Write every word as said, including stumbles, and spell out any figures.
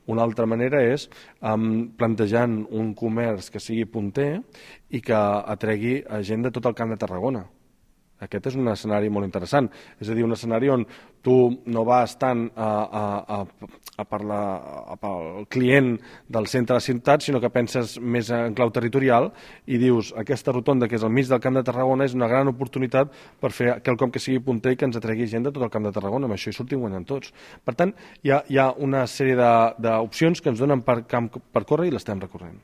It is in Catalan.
Una altra manera és um, plantejant un comerç que sigui punter i que atregui gent de tot el Camp de Tarragona. Aquest és un escenari molt interessant, és a dir, un escenari on tu no vas tant a, a, a, a per la, a pel client del centre de la ciutat, sinó que penses més en clau territorial i dius, aquesta rotonda que és al mig del Camp de Tarragona és una gran oportunitat per fer quelcom que sigui punter i que ens atregui gent de tot el Camp de Tarragona, amb això hi sortim guanyant tots. Per tant, hi ha, hi ha una sèrie d'opcions que ens donen per camp per córrer i l'estem recorrent.